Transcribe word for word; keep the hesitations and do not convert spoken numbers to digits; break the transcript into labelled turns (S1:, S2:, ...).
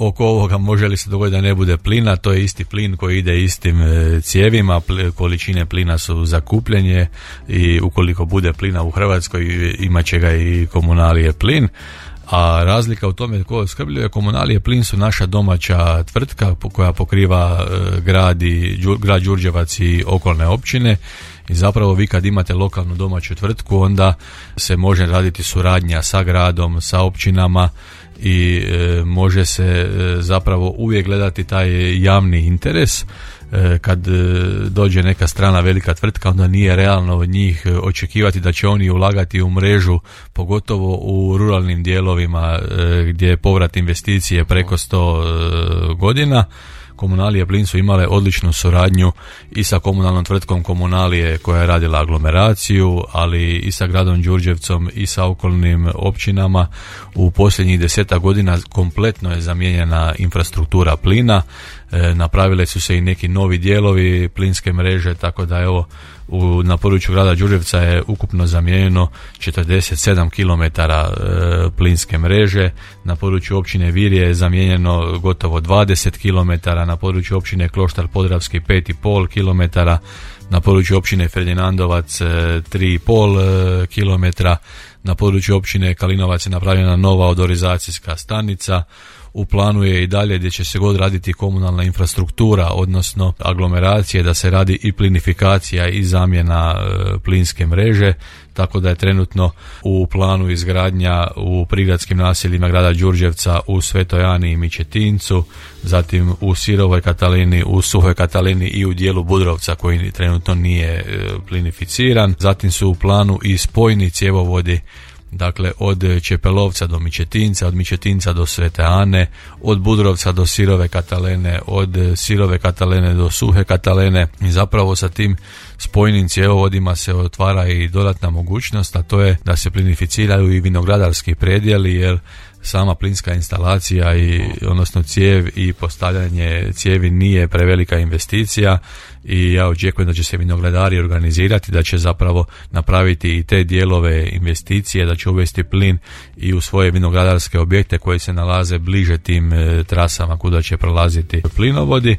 S1: oko ovoga može li se dogoditi da ne bude plina, to je isti plin koji ide istim cijevima, količine plina su zakupljenje i ukoliko bude plina u Hrvatskoj imat će ga i Komunalije plin. A razlika u tome tko opskrbljuje Komunalije plin su naša domaća tvrtka koja pokriva grad, i, grad Đurđevac i okolne općine. I zapravo vi kad imate lokalnu domaću tvrtku onda se može raditi suradnja sa gradom, sa općinama i e, može se e, zapravo uvijek gledati taj javni interes. E, kad e, dođe neka strana velika tvrtka onda nije realno od njih očekivati da će oni ulagati u mrežu, pogotovo u ruralnim dijelovima e, gdje je povrat investicije preko sto e, godina. Komunalije plin su imale odličnu suradnju i sa komunalnom tvrtkom Komunalije koja je radila aglomeraciju, ali i sa gradom Đurđevcom i sa okolnim općinama. U posljednjih desetak godina kompletno je zamijenjena infrastruktura plina, e, napravile su se i neki novi dijelovi plinske mreže, tako da evo u, na području grada Đurđevca je ukupno zamijenjeno četrdeset sedam kilometara e, plinske mreže, na području općine Virje je zamijenjeno gotovo dvadeset kilometara, na području općine Kloštar Podravski pet i pol kilometara, na području općine Ferdinandovac tri i pol kilometra, na području općine Kalinovac je napravljena nova odorizacijska stanica. U planu je i dalje gdje će se god raditi komunalna infrastruktura, odnosno aglomeracije, da se radi i plinifikacija i zamjena e, plinske mreže, tako da je trenutno u planu izgradnja u prigradskim naseljima grada Đurđevca u Svetoj Ani i Mičetincu, zatim u Sirovoj Katalini, u Suhoj Katalini i u dijelu Budrovca koji trenutno nije e, plinificiran. Zatim su u planu i spojni cjevovodi, dakle od Čepelovca do Mičetinca, od Mičetinca do Svete Ane, od Budrovca do Sirove Katalene, od Sirove Katalene do Suhe Katalene i zapravo sa tim spojnim cjevovodima se otvara i dodatna mogućnost, a to je da se plinificiraju i vinogradarski predjeli, jer sama plinska instalacija i odnosno cijev i postavljanje cijevi nije prevelika investicija i ja očekujem da će se vinogradari organizirati, da će zapravo napraviti i te dijelove investicije, da će uvesti plin i u svoje vinogradarske objekte koji se nalaze bliže tim e, trasama kuda će prolaziti plinovodi.